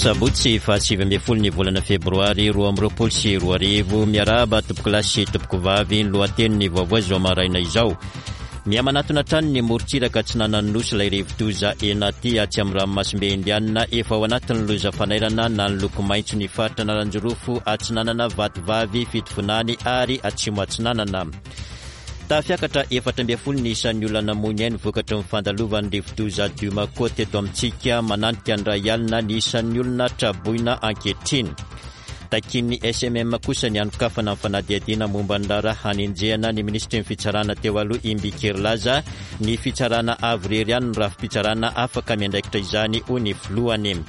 Sabotsy faha 19 ny volana febroary 2022. Miarahaba tompokolahy sy tompokovavy, ny lohatenin'ny vaovao izao maraina izao. Mihamanatona hatrany ny morontsiraka atsinanan'ny Nosy ilay rivodoza Enaty atsy amin'ny ranomasimbe Indianina. Efa ao anatin'ny loza fanairana na ny loko maitso ny faritra Analanjirofo, Atsinanana, Vatovavy, Fitovinany ary Atsimo Atsinanana. Tafiakatra 14 ny isan'ny olona namoy ny ainy vokatry ny fandalovan'ny rivodoza Dumako teto amintsika. Mananika ny iray alina ny isan'ny olona traboina ankehitriny. Takian'ny SMM kosa ny hanokafana ny fanadihadiana momba ny raharaha hanenjehana ny minisitry ny fitsarana teo aloha Imbiky Herilaza. Ny fitsarana avo irery ihany no rafi-pitsarana afaka miandraikitra izany, hoy ny filohany.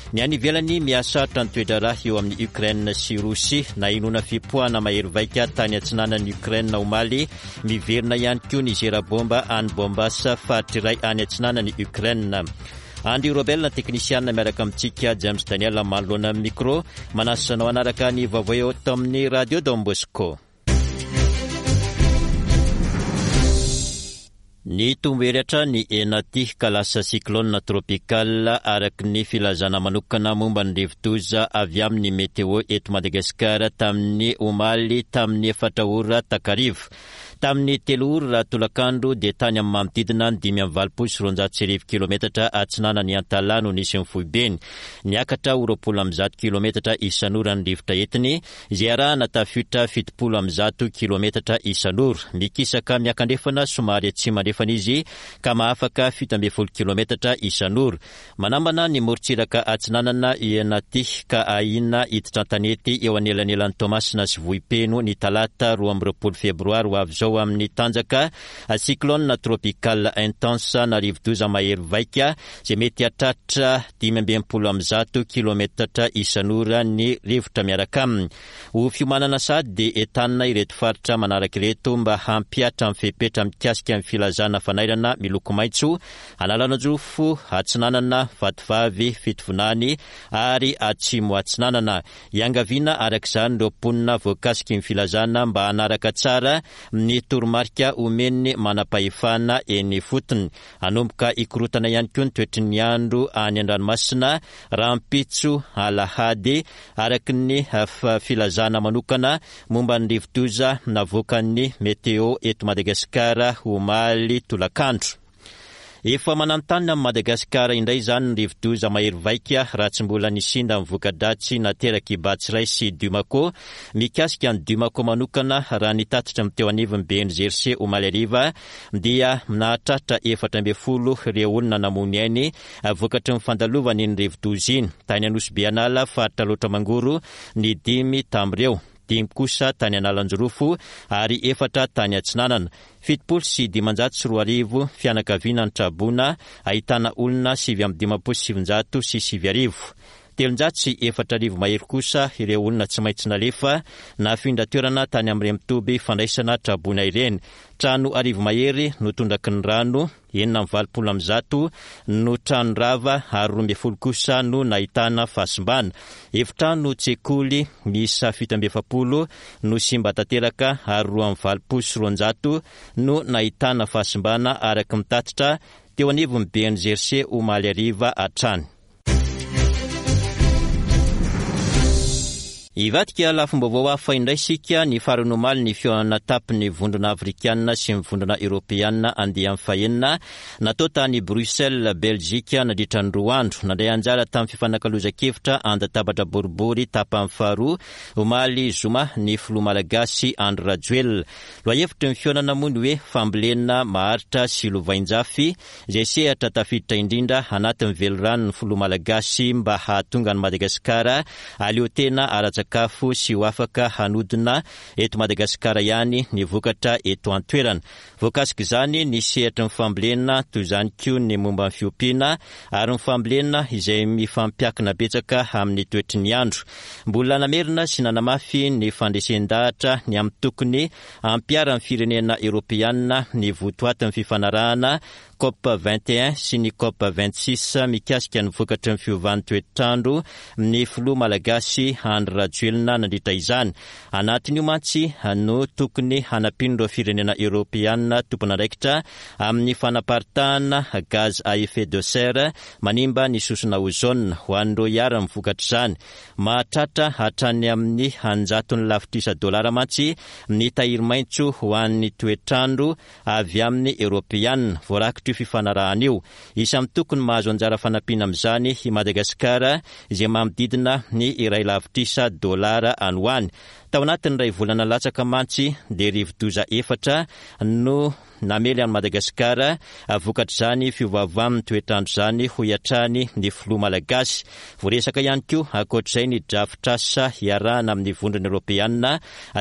Ny any ivelany, mihasarotra ny toe-draharaha eo amin'i Ukraine sy Rosia. Nahenoana fipoahana mahery vaika tany atsinanan'i Ukraine omaly. Miverina ihany koa ny zera bomba any Donbass, faritra iray any atsinanan'i Ukraine. Andry Robel, teknisianina miaraka amintsika, James Daniel manoloana ny micro. Manasa anao hanaraka ny vaovao eto amin'ny Radio Don Bosco. Nitombo hery hatrany i Enaty ka lasa cyclone tropical araka ny filazana manokana momba ny rivodoza avy amin'ny Météo eto Madagasikara tamin'ny omaly tamin'ny efatra ora takariva. Tamin'ny telo ora tolakandro dia tany amin'ny manodidina ny 1285 kilometatra atsinanan'i Antalaha no nisy ny foibeny. Niakatra ho 120 kilometatra isan'ora ny rivotra entiny, izay arahana tafiotra 170 kilometatra isan'ora. Mikisaka miakandrefana somary atsimo andrefana izy ka mahafaka 17 kilometatra isan'ora. Manambana ny morontsiraka atsinanana i Enaty ka ahiana hiditra an-tanety eo anelanelan'i Toamasina sy Vohipeno ny talata 22 febroary ho avy izao amin'ny tanjaka cyclone tropical intense na rivodoza mahery vaika izay mety hahatratra 165 kilometatra isan'ora ny rivotra miaraka aminy. Ho fiomanana sahady dia entanina ireto faritra manaraka ireto mba hampihatra ny fepetra mikasika ny filazana fanairana miloko maitso, Analanjirofo, Atsinanana, Vatovavy, Fitovinany ary Atsimo Atsinanana. Iangaviana araka izany ireo mponina voakasiky ny filazana mba hanaraka tsara ny toromarika omen'ny manam-pahefana eny ifotony. Hanomboka hikorontana ihany koa ny toetry ny andro any an-dranomasina rahampitso alahady, araka ny filazana manokana momba ny rivodoza navoakan'ny Météo eto Madagasikara omaly tolakandro. Efa mananontanona amin'i Madagasikara indray izany ny rivodoza mahery vaika raha tsy mbola nisinda ny voka-dratsy naterak'i Batsirai sy Dumako. Mikasika an'i Dumako manokana, raha ny tatitry ny teo anivon'ny BNGRC omaly hariva dia nahatratra 14 ireo olona namoy ny ainy vokatry ny fandalovany iny rivodoza iny. Tany Anosibe An'ala, faritra Alaotra Mangoro, ny dimy tamin'ireo. Dimy kosa tany Analanjirofo ary efatra tany Atsinanana. 2070 fianakaviana nitraboina, ahitana olona 1959. 4003 mahery kosa ireo olona tsy maintsy nalefa nafindra toerana tany amin'ireny toby fandraisana traboina ireny. Trano arivo mahery no tondraky ny rano, 186 no trano rava ary 12 kosa no nahitana fahasimbana. Efitrano tsekoly miisa 47 no simba tanteraka ary 282 no nahitana fahasimbana araka ny tatitra teo anivon'ny BNGRC omaly hariva hatrany. Hivadika lafim-baovao hafa indray isika, ny farany omaly ny fihaonana tapon'ny Vondrona Afrikanina sy ny Vondrona Eoropeanina andiany fahenina natao tany Bruxelles, Belzika nandritra ny roa andro. Nandray anjara tamin'ny fifanakalozan-kevitra an-databatra boribory tapany faharoa omaly zoma ny filoha malagasy Andry Rajoelina. Lohahevitry ny fihaonana moa ny hoe fambolena maharitra sy lovainjafy izay sehatra tafiditra indrindra anatin'ny veliranon'ny filoha malagasy mba hahatonga an'i Madagasikara hahaleo tena ara-tsakafo sy ho afaka hanodina eto Madagasikara ihany ny vokatra eto an-toerana. Voakasik'izany ny sehatry ny fambolena, toy izany koa ny momba ny fiompiana ary ny fambolena izay mifampiakina betsaka amin'ny toetry ny andro. Mbola namerina sy nanamafy ny fandresen-dahatra ny amin'ny tokony Hampiharan'ny firenena Eoropeanina ny votoatin'ny fifanarahana Cop 21 sy ny Cop 26 mikasika ny vokatry ny fiovan'ny toetr'andro ny filoha malagasy Andry Rajoelina nandritra izany. Anatin'io mantsy no tokony hanampian'ireo firenena eoropeanina tompon'andraikitra amin'ny fanaparitahana gaz à effet de serre manimba ny sosona ozone ho an'ireo iharan'ny vokatr'izany. Mahatratra hatrany amin'ny an-jatony lavitrisa dolara mantsy ny tahiry maitso ho an'ny toetr'andro avy amin'ny Eoropeanina, voarakitr'io fifanarahana io. Isan'ny tokony mahazo anjara fanampiana amin'izany i Madagasikara izay manodidina ny iray lavitrisa dolara any ho any. Tao anatin'ny iray volana latsaka mantsy dia rivodoza efatra no namely an'i Madagasikara vokatr'izany fiovaovan'ny toetr'andro izany, hoy hatrany ny filoha malagasy. Voaresaka ihany koa ankoatr'izay ny drafitrasa hiarahana amin'ny Vondrona Eoropeanina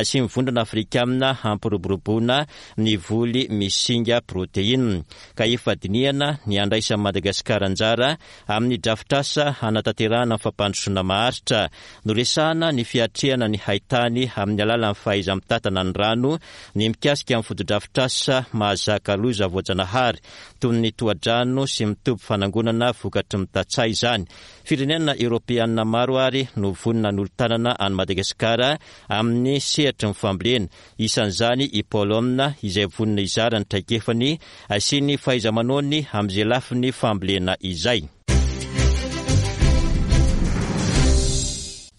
sy ny Vondrona Afrikanina hampiroboroboana ny voly misy singa proteina, ka efa dinihana ny handraisan'i Madagasikara anjara amin'ny drafitrasa hanatanterahana ny fampandrosoana maharitra. Noresahana ny fiatrehana ny haitany amin'ny alalan'ny fahaiza-mitantana ny rano, ny mikasika ny fotodrafitrasa mahazaka loza voajanahary, toy ny tohadrano sy ny toby fanangonana vokatry ny tantsaha izany. Firenena eoropeanina maro ary no vonona hanolo-tanana an'i Madagasikara amin'ny sehatry ny fambolena. Isan'izany i Polonina, izay vonona hizara ny traikefany sy ny fahaiza-manaony amin'izay lafiny fambolena izay.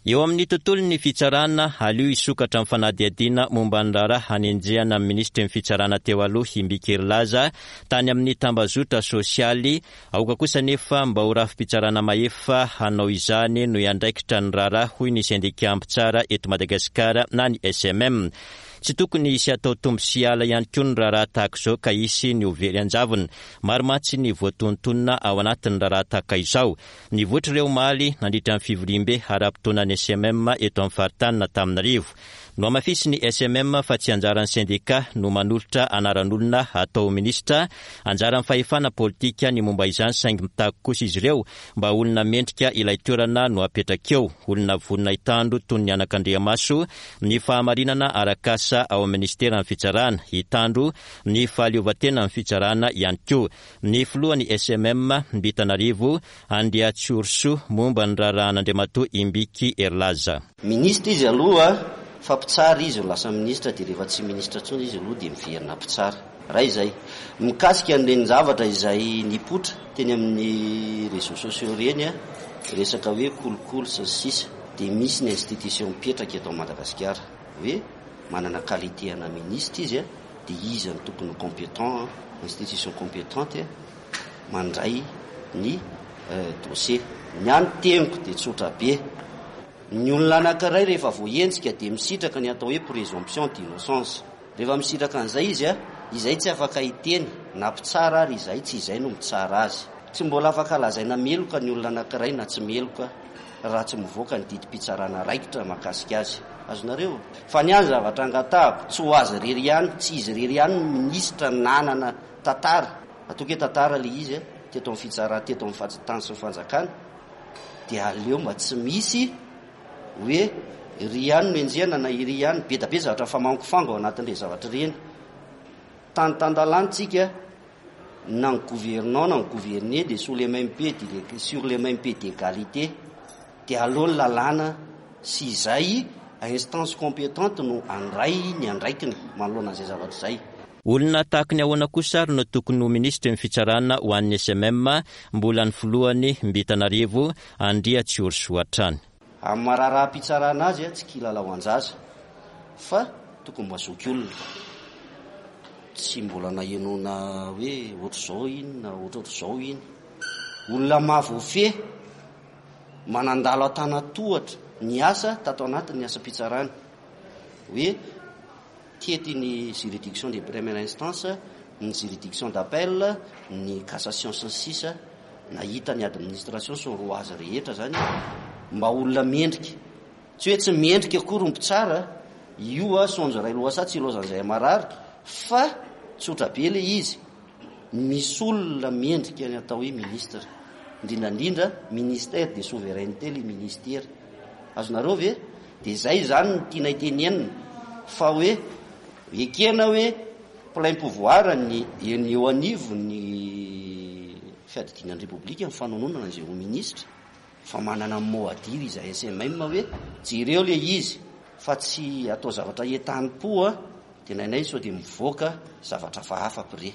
Eo amin'ny tontolon'ny fitsarana, aleo hisokatra ny fanadihadiana momba ny raharaha hanenjehana ny minisitry ny fitsarana teo aloha Imbiky Herilaza tany amin'ny tambazotra sosialy Aoka kosa anefa mba ho rafi-pitsarana mahefa hanao izany no hiandraikitra ny raharaha, hoy ny sendika mpitsara eto Madagasikara na ny SMM. Tsy tokony hisy hatao tombo sy ala ihany koa ny raharaha tahaka izao ka hisy ny ho very an-javony. Maro mantsy ny voatonontonona ao anatin'ny raharaha tahaka izao. Nivoitra ireo omaly nandritra ny fivoriambe ara-potoanan'ny SMM eto amin'ny faritanin'Antananarivo. Nohamafisin'ny SMM fa tsy anjaran'ny sendika no manolotra anaran'olona hatao ho minisitra, anjaran'ny fahefana politika ny momba izany saingy mitaky kosa izy ireo mba olona mendrika ilay toerana no apetraka eo, olona vonona hitandro toy ny anakandriamaso ny fahamarinana arak'asa ao amin'ny minisiteran'ny fitsarana, hitandro ny fahaleovantenan'ny fitsarana ihany koa. Ny filohan'ny SMM, Mbitanarivo Andriatsiorisoa momba ny raharahan'Andriamatoa Imbiky Herilaza. Minisitra izy aloha fa mpitsara izy no lasa minisitra dia rehefa tsy minisitra intsony izy aloha dia miverina mpitsara. Iray izay. Mikasika an'ireny zavatra izay nipoitra teny amin'ny réseaux sociaux ireny, resaka hoe kolikoly sy ny sisa dia misy ny institution mipetraka eto Madagasikara hoe manana qualité ana minisitra izy dia iza no tokony ho compétent, institution compétente mandray ny dossier. Ny ahy ny teniko dia tsotra be. Ny olona anankiray rehefa voahenjika dia misitraka ny atao hoe présomption d'innocence. Rehefa misitraka an'izay izy, izay tsy afaka hiteny na mpitsara ary izay tsy izay no mitsara azy. Tsy mbola afaka lazaina meloka ny olona anankiray na tsy meloka raha tsy mivoaka ny didim-pitsarana raikitra mahakasika azy. Azonareo? Fa ny ahy ny zavatra angatahako, tsy ho azy irery ihany, tsy izy irery ihany no minisitra nanana tantara, ataoko hoe tantara ilay izy, teto amin'ny fitsarana, teto amin'ny tany sy ny fanjakana, dia aleo mba tsy misy hoe iry ihany no enjehina na iry ihany, be da be zavatra mifamangofango ao anatin'ireny zavatra ireny. Tany tan-dalàna tsika, na ny gouvernant na ny gouverné dia sous les mêmes pieds sur les mêmes pieds d'égalité, dia aleo ny lalàna sy izay instance compétente no handray ny andraikiny manoloana an'izay zavatra izay. Olona tahaky ny ahoana kosa ary no tokony ho minisitry ny fitsarana ho an'ny SMM, mbola ny filohany Mbitanarivo Andriatsiorisoa hatrany. Amin'ny maha raharaham-pitsarana azy tsy kilalaoan-jaza fa tokony mba zokiolona. Tsy mbola nahenoana hoe ohatr'izao iny na ohatrohatr'izao iny. Olona mahavoafehy, manandalo an-tanan-tohatra ny asa tato anatin'ny asam-pitsarana. Hoe. Tety ny juridiction de première instance, ny juridiction d'appel, ny cassation sy ny sisa Nahita ny administration sy ny rouage rehetra zany mba olona mendrika. Tsy hoe tsy mendrika akory ny mpitsara, io a saonjo iray lohasaha tsy ilaozan'izay marary fa tsotra be le izy, misy olona mendrika ny atao hoe ministre, indrindra indrindra ministère de souveraineté le ministera. Azonareo ve? Dia izay izany no tianay tenenina fa hoe ekena hoe plein pouvoir ny eny eo anivon'ny. Fiadidiana ny Repoblika ny fanononana izay ho minisitra fa manana mot à dire izahay SMM hoe jereo ilay izy fa tsy atao zavatra entanim-po a, dia nainay sao dia mivoaka zavatra hafahafa pre.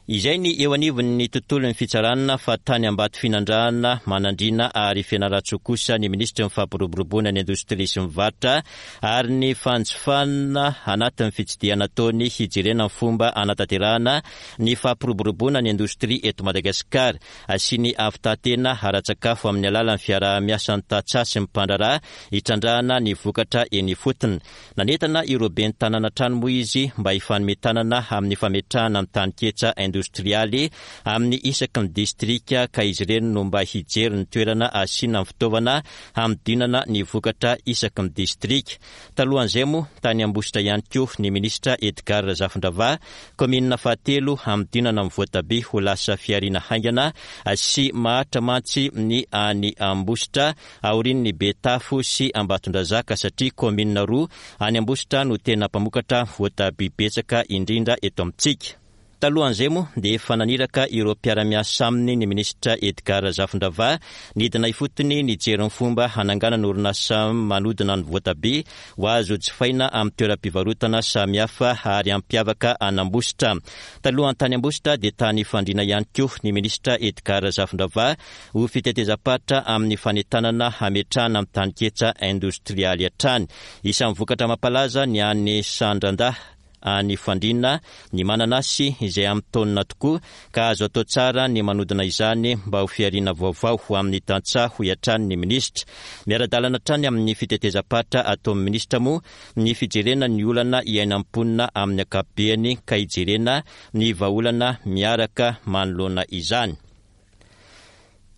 Izay ny eo anivon'ny tontolon'ny fitsarana fa tany Ambatofinandrahana, Manandriana ary Fianarantsoa kosa ny minisitry ny fampiroboroboana ny indostria sy ny varotra ary ny fanjifana anatin'ny fitsidihana ataony hijerena ny fomba hanatanterahana ny fampiroboroboana ny indostria eto Madagasikara sy ny havitan-tena ara-tsakafo amin'ny alalan'ny fiaraha-miasan'ny tantsaha sy ny mpandraharaha hitrandrahana ny vokatra eny ifotony. Nanentana ireo ben'ny tanàna hatrany moa izy mba hifanome tanana amin'ny fametrahana ny taninketsa indostrialy amin'ny isaky ny distrika ka izy ireny no mba hijery ny toerana asiana ny fitaovana hanodinana ny vokatra isaky ny distrika. Talohan'izay moa, tany Ambositra ihany koa ny minisitra Edgard Razafindravahy, kaominina fahatelo hanodinana ny voatabia ho lasa fihariana haingana sy maharitra mantsy ny any Ambositra aorian'ny Betafo sy Ambatondrazaka satria kaominina roa any Ambositra no tena mpamokatra voatabia betsaka indrindra eto amintsika. Talohan'izay moa dia efa naniraka ireo mpiara-miasa aminy ny minisitra Edgard Razafindravahy nidina ifotony nijery ny fomba hananganana orinasa manodina ny voatabia ho azo jifaina amin'ny toeram-pivarotana samihafa ary hampiavaka an'Ambositra. Talohan'ny tany Ambositra dia tany Fandriana ihany koa ny minisitra Edgard Razafindravahy ho fitetezam-paritra amin'ny fanentanana hametrahana ny taninketsa indostrialy hatrany. Isan'ny vokatra mampalaza ny any Sandrandahy any Fandriana ny mananasy izay amin'ny taonina tokoa ka azo atao tsara ny manodina izany mba ho fihariana vaovao ho amin'ny tantsaha hoy hatrany ny minisitra. Miara-dalana hatrany amin'ny fitetezam-paritra ataon'ny minisitra moa ny fijerena ny olana iainan'ny mponina amin'ny ankapobeany ka hijerena ny vahaolana miaraka manoloana izany.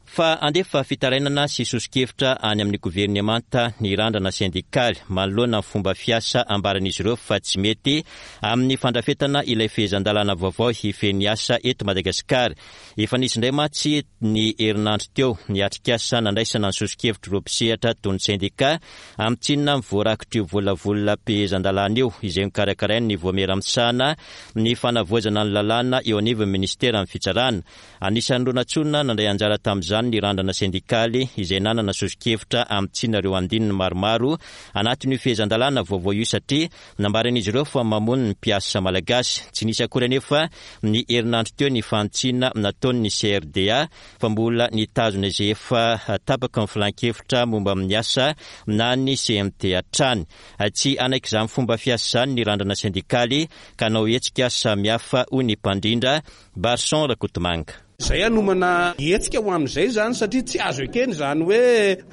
Fa handefa fitarainana sy soso-kevitra any amin'ny governemanta ny randrana sendikaly manoloana ny fomba fiasa ambaran'izy ireo fa tsy mety amin'ny fandrafetana ilay fehezan-dalàna vaovao hifehy ny asa eto Madagasikara. Efa nisy indray mantsy ny herinandro teo ny atrikasa nandraisana ny soso-kevitr'ireo mpisehatra toy ny sendika amin'ny tsinona ny voarakitr'io volavolam-pehezan-dalàna io izay nokarakarain'ny Vaomiera misahana ny fanavaozana ny lalàna eo anivon'ny minisiteran'ny Fitsarana. Anisan'ireo nantsoina nandray anjara tamin'izany ny randrana sendikaly izay nanana soso-kevitra hamintsiana ireo andininy maromaro anatin'io fehezan-dalàna vaovao io satria nambaran'izy ireo fa mamono ny mpiasa malagasy. Tsy nisy akory anefa ny herinandro teo ny fanitsiana nataon'ny CRDA fa mbola nitazona izay efa tapaky ny filankevitra momba ny asa na ny CMT hatrany. Tsy hanaiky izany fomba fiasa izany ny randrana sendikaly ka hanao hetsika samihafa hoy ny mpandrindra Barson Rakotomanga. Izay hanomana hetsika ho amin'izay izany satria tsy azo ekena izany hoe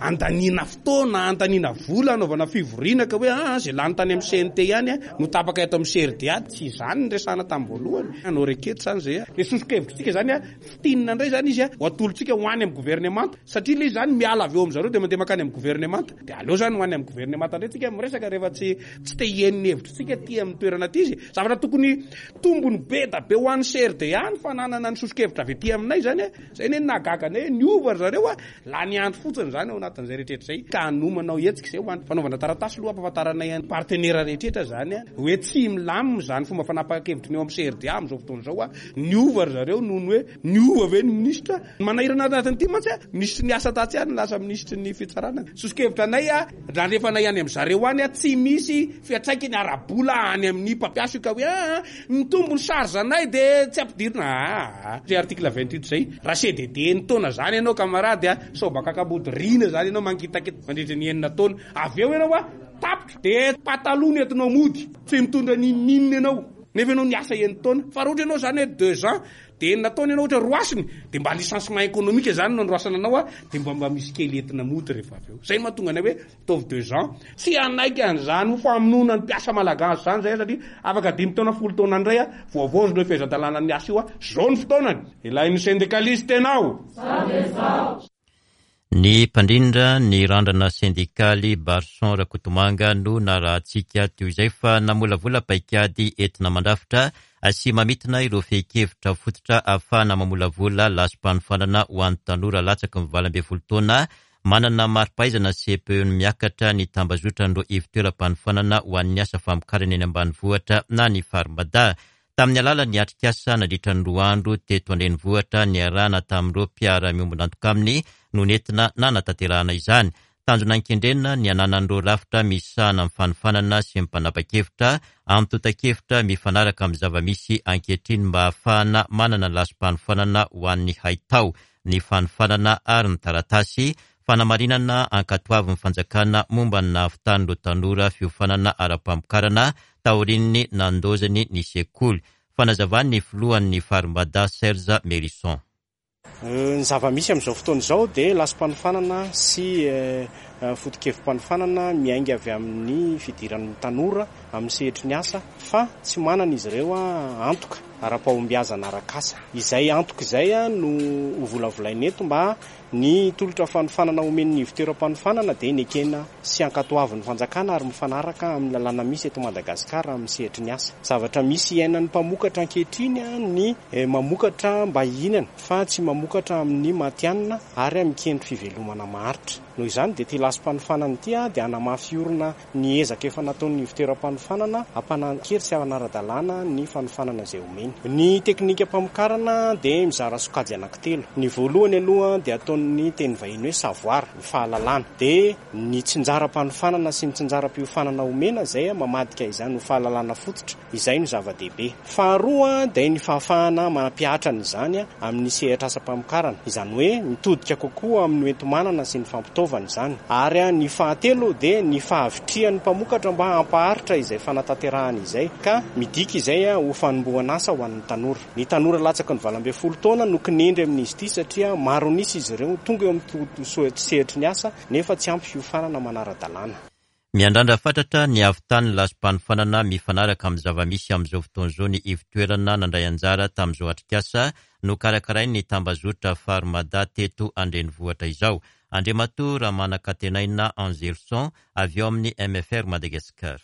andaniana fotoana, andaniana vola hanaovana fivoriana ka hoe aa izay lany tany amin'ny CNT ihany no tapaka eto amin'ny CRDA. Tsy izany no resahana tamin'ny voalohany. Hanao requête izany izay. Ilay soso-kevitritsika izany fintinina indray izany izy ho atolotsika ho any amin'ny governemanta satria ilay izy izany miala avy eo amin'zareo dia mandeha mankany amin'ny governemanta. Dia aleo izany ho any amin'ny governemanta indray tsika miresaka rehefa tsy tsy te hihaino ny hevitritsika aty amin'ny toerana aty izy. Zavatra tokony tombony be da be ho an'ny CRDA ny fananana ny soso-kevitra avy aty aminay izany a. Izay anie no nahagaga anay hoe niova ry zareo a. Lany andro fotsiny izany ao anatin'izay rehetra izay. Ka hanomanao hetsika izay ho an'ny fanaovana taratasy aloha hampahafantaranay an'ny partenaire rehetra izany a, hoe tsy milamina izany fomba fanapahan-kevitry ny eo amin'ny CRDA amin'izao fotoana izao a. Niova ry zareo noho ny hoe niova ve ny minisitra? Ny manahirana anatin'ity mantsy a, minisitry ny asa tatsy ihany no lasa minisitry ny fitsarana. Soso-kevitra anay a, nalefanay any amin-dry zareo any a, tsy misy fiantraikany ara-bola any amin'ny mpampiasa io ka hoe aa, mitombo ny charge anay dia tsy ampidirina aa. Zay article 28 zay, raha CDD enin-taona zany ianao camarade a, sao mba kakambody riana zany ianao mangitakita mandritra ny enina taona, avy eo ianao a, tapitra, dia pataloha no entinao mody, tsy mitondra n'inon'inona ianao, nefa ianao niasa enin-taona, fa raha ohatra ianao zany hoe deux ans, Dia enina taona ianao ohatra roasiny dia mba licenciement économique izany no androasana anao a, dia mba mba misy kely entina mody rehefa avy eo. Izay no mahatonga anay hoe ataovy deux ans. Tsy hanaiky an'izany ho famonoana ny mpiasa malagasy izany izahay satria afaka dimy taona folo taona indray a, voavaozina io fehezan-dalànan'ny asa io a, izao ny fotoanany. Ilain'ny syndicaliste ianao. Za dia zaho. Ny mpandrindra ny randrana sendikaly Barson Rakotomanga no narahantsika teo izay fa namolavola paikady entina mandrafitra sy mamintina ireo fehin-kevitra fototra ahafahana mamolavola lasim-panofanana ho an'ny tanora latsaky ny 18 taona manana mari-pahaizana CPE miakatra ny tambazotran'ireo ivon-toeram-panofanana ho an'ny asa famokarana eny ambanivohitra na ny Farmada. Tamin'ny alalan'ny atrikasa nandritra ny roa andro teto an-drenivohitra niarahana tamin'ireo mpiara-miombon'antoka aminy no nentina nanatanterahana izany. Tanjona nikendrena ny hananan'ireo rafitra misahana ny fanofanana sy ny mpanapa-kevitra antontan-kevitra mifanaraka amin'ny zava-misy ankehitriny mba hahafahana manana lasi-panofanana ho an'ny haitao, ny fanofanana ary ny taratasy fanamarinana ankatoavin'ny fanjakana momba ny nahavitan'ireo tanora fiofanana ara-pamokarana taorian'ny nandaozany ny sekoly. Fanazavan'ny filohan'ny Farmada Serge Mérison. Ny zava-misy amin'izao fotoana izao dia lasi-panofanana sy foto-kevi-panofanana miainga avy amin'ny fidiran'ny tanora amin'ny sehatry ny asa fa tsy manana izy ireo antoka ara-pahombiazana arak'asa. Izay antoka izay no hovolavolaina eto mba Ny tolotra fanofanana omen'ny ivontoeram-panofanana dia nekena sy ankatoavin'ny fanjakana ary mifanaraka amin'ny lalàna misy eto Madagasikara amin'ny sehatry ny asa. Zavatra misy iainan'ny mpamokatra ankehitriny ny mamokatra mba hihinana fa tsy mamokatra amin'ny matihanina ary mikendry fivelomana maharitra. Noho izany dia ity lasi-panofanana ity dia hanamafy orina Ny ezaka efa nataon'ny ivontoeram-panofanana hampanan-kery sy hanara-dalàna ny fanofanana izay omeny. Ny teknikam-pamokarana dia mizara sokajy anankitelo. Ny voalohany aloha dia ataon'ny teny vahiny hoe savoir, ny fahalalana. Dia ny tsinjaram-panofanana sy ny tsinjaram-piofanana omena izay mamadika izany ho fahalalana fototra. Izay no zava-dehibe. Faharoa dia ny fahafahana mampihatra an'izany amin'ny sehatr'asam-pamokarana, izany hoe mitodika kokoa amin'ny hoenti-manana sy ny fampitaovana izany. Ary ny fahatelo dia ny fahavitrihan'ny mpamokatra mba hampaharitra izay fanatanterahana izay, ka midika izay ho fanombohan'asa ho an'ny tanora. Ny tanora latsaky ny 18 taona no kinendry amin'izy ity satria maro an'isa izy ireo tonga eo amin'ny sehatry ny asa nefa tsy ampy fiofanana manara-dalàna. Miandrandra fatratra ny havitan'ny lasi-panofanana mifanaraka amin'ny zava-misy amin'izao fotoana izao ny ivon-toerana nandray anjara tamin'izao atrikasa nokarakarain'ny tambazotra Farmada teto an-drenivohitra izao. Andriamatoa Ramanankatenaina Angelson avy ao amin'ny MFR Madagascar.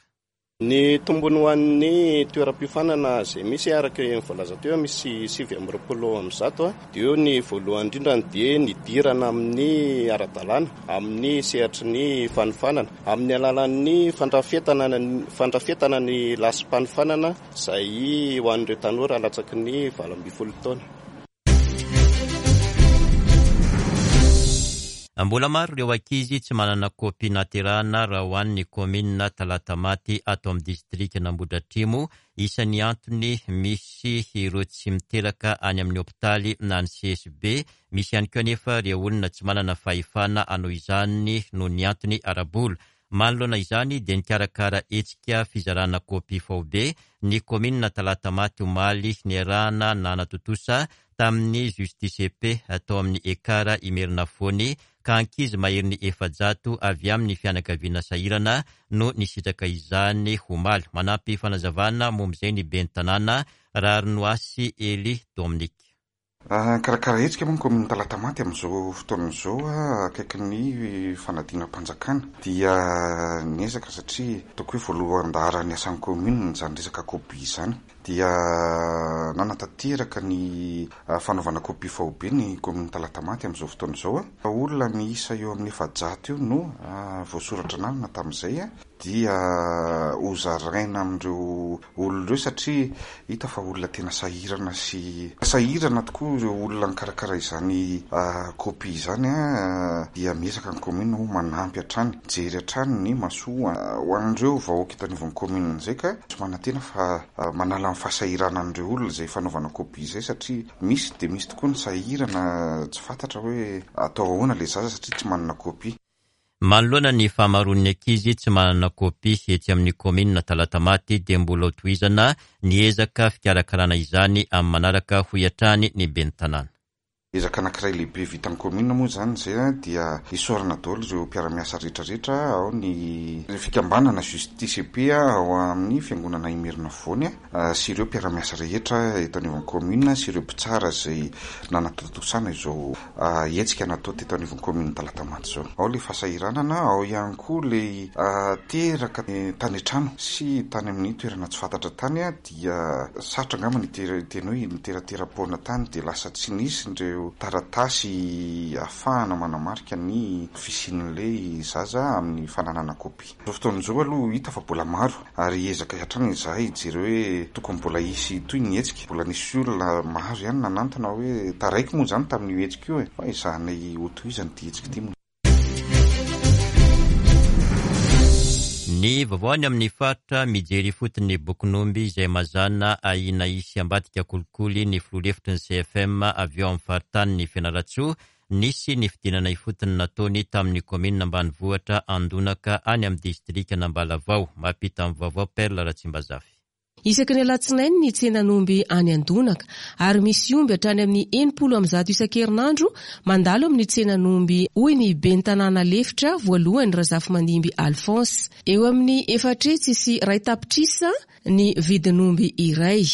Ny tombony ho an'ny toeram-piofanana izay misy araka ny voalaza teo, misy 129 dia eo ny voalohany indrindra dia ny hidirana amin'ny ara-dalàna amin'ny sehatry ny fanofanana amin'ny alalan'ny fandrafetana fandrafetana ny lasi-panofanana izay ho an'ireo tanora latsaky ny 18 taona. Mbola maro ireo ankizy tsy manana kopia nahaterahana raha ho an'ny kaominina Talatamaty ato amin'ny distrikan'Ambohidratrimo. Isan'ny antony misy ireo tsy miteraka any amin'ny hopitaly na ny CSB. Misy ihany koa anefa ireo olona tsy manana fahefana hanao izany noho ny antony ara-bola. Manoloana izany dia nikarakara hetsika fizarana kopia faobe ny kaominina Talatamaty omaly niarahana nanatontosa tamin'ny Justice et Paix tao amin'ny Ekar Imerinafoany ka ankizy maherin'ny 400 avy amin'ny fianakaviana sahirana no nisitraka izany omaly. Manampy fanazavana momba izay ny ben'ny tanàna Raharinoasy Elie Dominique. Nikarakara hetsika moa ny kaominina Talatamaty amin'izao fotoana izao akaikin'ny fanadinam-panjakana. Dia niezaka satria ataoko hoe voalohan-daharan'ny asan'ny kaominina izany resaka kopia izany. Dia nanatanteraka ny fanaovana kopia faobe ny kaominina Talatamaty amin'izao fotoana izao. Olona miisa eo amin'ny 400 eo no voasoratra anarana tamin'izay. dia ho zaraina amin'ireo olona ireo satria hita fa olona tena sahirana sy sahirana tokoa ireo olona nikarakara izany copie izany dia miezaka ny commune ho manampy hatrany, mijery hatrany ny mahasoa ho an'ireo vahoaka eto anivon'ny commune izay ka tsy manantena fa manala ny fahasahiranan'ireo olona izay fanaovana copie izay satria misy dia misy tokoa ny sahirana tsy fantatra hoe atao ahoana ilay zaza satria tsy manana copie. Manoloana ny fahamaroan'ny ankizy tsy manana kopia etsy amin'ny kaominina Talatamaty dia mbola ho tohizana ny ezaka fikarakarana izany amin'ny manaraka hoy hatrany ny ben'ny tanàna. Ezaka anankiray lehibe vitan'ny kaominina moa izany izay dia isaorana daholo ireo mpiara-miasa rehetra rehetra ao ny fikambanana Justice et Paix ao amin'ny fiangonana Imerinafovoany sy ireo mpiara-miasa rehetra eto anivon'ny kaominina sy ireo mpitsara izay nanatontosana izao hetsika natao teto anivon'ny kaominina Talatamaty izao. Ao ilay fahasahiranana, ao ihany koa ilay teraka tany an-trano sy tany amin'ny toerana tsy fantatra tany dia sarotra angamba ny hiteny hoe niteratera-poana tany dia lasa tsy nisy ireo. ireo taratasy ahafahana manamarika ny fisian'ilay zaza amin'ny fananana kopia. Izao fotoana izao aloha hita fa mbola maro ary hiezaka hatrany izahay hijery hoe tokony mbola hisy hitohy ny hetsika. Mbola nisy olona maro ihany nanantona hoe taraiky moa izany tamin'io hetsika io e! Fa ezahanay hotohizana ity hetsika ity moa. Ny vaovao any amin'ny faritra, mijery ifotony ny bokin'omby izay mazàna ahiana hisy ambadika kolikoly ny filoha lefitry ny CFM avy ao amin'ny faritanin'i Fianarantsoa. Nisy ny fidinana ifotony nataony tamin'ny kaominina ambanivohitra Andonaka any amin'ny distrikan'Ambalavao. Mampita ny vaovao Perle Ratsimbazafy. Isaky ny alatsinainy ny tsenan'omby any Andonaka ary misy omby hatrany amin'ny 160 isan-kerinandro mandalo amin'ny tsenan'omby hoy ny ben'ny tanàna lefitra voalohany Razafimandimby Alphonse. Eo amin'ny 401 tapitrisa ny vidin'omby iray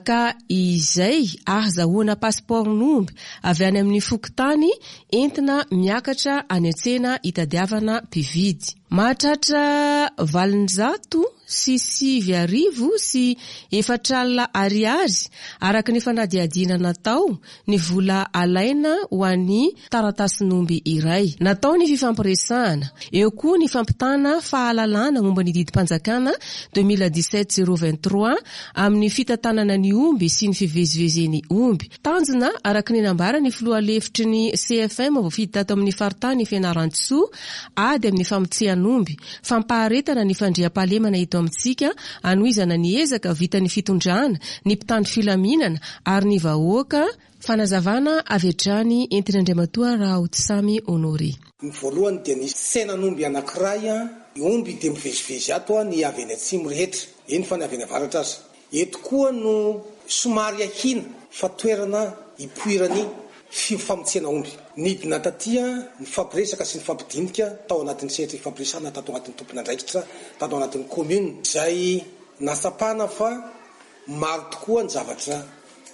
ka izay ahazahoana pasipaoron'omby avy any amin'ny fokontany entina miakatra any an-tsena hitadiavana mpividy. Mahatratra 4009 ariary araka ny fanadihadiana natao ny vola alaina ho an'ny taratasin'omby iray. Natao ny fifampiresahana. Eo koa ny fampitana fahalalana momba ny didim-panjakana 2017 023 amin'ny fitantanana ny omby sy ny fivezivezen'ny omby. Tanjona, araka ny nambaran'ny filoha lefitry ny CFM voafidy tato amin'ny faritany Fianarantsoa, ady amin'ny famotsehan'omby, fampaharetana ny fandriampahalemana eto amintsika, hanohizana ny ezaka vitan'ny fitondrana, ny mpitandro filaminana ary ny vahoaka, Fanazavana avy hatrany entin'Andriamatoa Rahaotisamy Honoré. Ny voalohany dia ny tsenan'omby anankiray, ny omby dia mivezivezy ato ny avy any atsimo rehetra, eny fa ny avy any avaratra aza. Eto koa no somary ahiana fa toerana ipoiran'ny fifamotsiana omby. Nidina taty nifampiresaka sy nifampidinika tao anatin'ny sehatra ifampiresahana tato anatin'ny tompon'andraikitra tato anatin'ny commune izay nahatsapana fa maro tokoa ny zavatra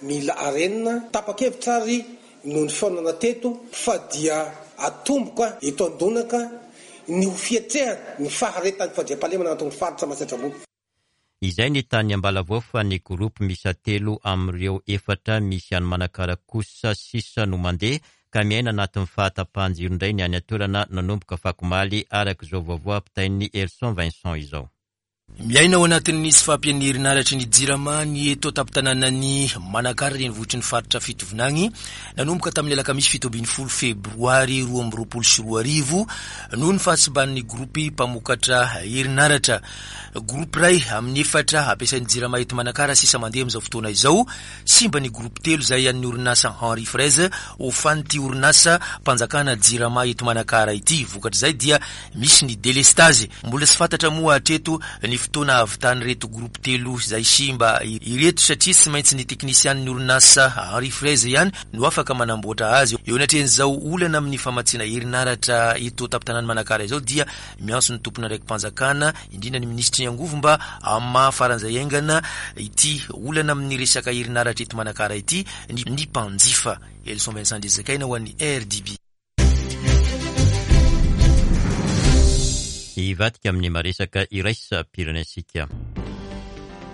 mila arenina. Tapa-kevitra ary noho ny fihaonana teto fa dia atomboka eto Andonaka ny ho fiatrehana ny faharetan'ny fandriampahalemana anatin'ny faritra Matsiatra Ambony. Izay ny tany Ambalavao fa ny groupe miisa telo amin'ireo efatra misy any Manakara kosa sisa no mandeha ka miaina anatin'ny fahatapahan-jiro indray ny any an-toerana nanomboka afakomaly araka izao vaovao ampitain'i Herson Vincent izao. Miaina ao anatin'ny tsy fahampian'ny herinaratry ny Jirama ny eto an-tampon-tanànan'i Manakara renivohitry ny faritra Fitovinagny nanomboka tamin'ny alakamisy 17 febroary 2022 noho ny fahasimban'ny gropy mpamokatra herinaratra. Groupe iray amin'ny efatra ampiasain'ny Jirama eto Manakara sisa mandeha amin'izao fotoana izao. Simba ny groupe telo izay an'ny orinasa Henri Fraise hofan'ity orinasa mpanjakana Jirama eto Manakara ity. Vokatr'izay dia misy ny delestazy. Mbola tsy fantatra moa hatreto ny fotoana hahavitan'ireto groupe telo izay simba ireto satria tsy maintsy ny teknisianin'ny orinasa Henri Fraise ihany no afaka manamboatra azy. Eo anatrehan'izao olana amin'ny famatsiana herinaratra eto an-tampon-tanàn'i Manakara izao dia Miantso ny tompon'andraiki-panjakana, indrindra ny minisitry ny angovo mba hamaha faran'izay haingana ity olana amin'ny resaka herinaratra eto Manakara ity ny mpanjifa. Elson Vincent Andriazakaina ho an'ny RDB. Hivadika amin'ny maresaka iraisam-pirenentsika.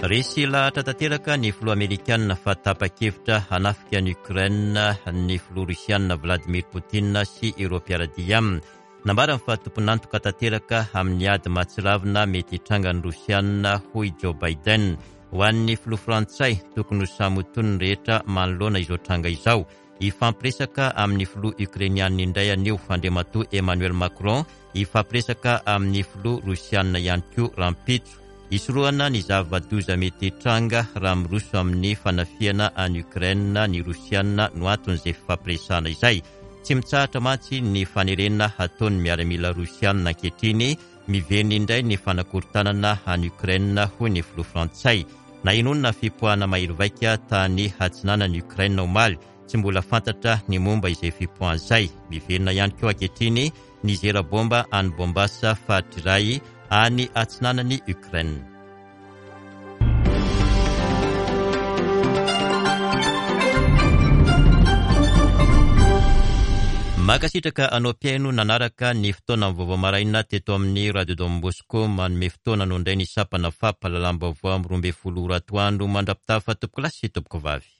Resy lahatra tanteraka ny filoha amerikanina fa tapa-kevitra hanafika an'i Ukraine ny filoha rosianina Vladimir Poutine sy ireo mpiara-dia aminy. Nambarany fa tompon'antoka tanteraka amin'ny ady mahatsiravina mety hitranga ny Rosiana, hoy Joe Biden. Ho an'ny filoha frantsay, tokony ho samy ho tony ny rehetra manoloana izao tranga izao. Hifampiresaka amin'ny filoha Ukrainiana indray anio Andriamatoa Emmanuel Macron, hifampiresaka amin'ny filoha Rosiana ihany koa rahampitso. Hisorohana ny zava-doza mety hitranga raha miroso amin'ny fanafihana an'i Ukraine ny Rosiana no anton'izay fifampiresahana izay. Tsy mitsahatra mantsy ny fanerena hataon'ny miaramila Rosiana ankehitriny, miverina indray ny fanakorontanana any Ukraine hoy ny filoha frantsay. Nahenoana fipoahana mahery vaika tany atsinanan'i Ukraine omaly, tsy mbola fantatra ny momba izay fipoahana izay. Miverina ihany koa ankehitriny ny zera bomba any Bombas faritra iray any atsinanan'i Ukraine. Mankasitraka anao mpihaino nanaraka ny fotoana ny vaovao maraina teto amin'ny Radio Don Bosco. Manome fotoana anao indray ny sampana fampahalalam-baovao amin'ny 12 ora atoandro mandra-pitafa tompokolahy sy tompokovavy.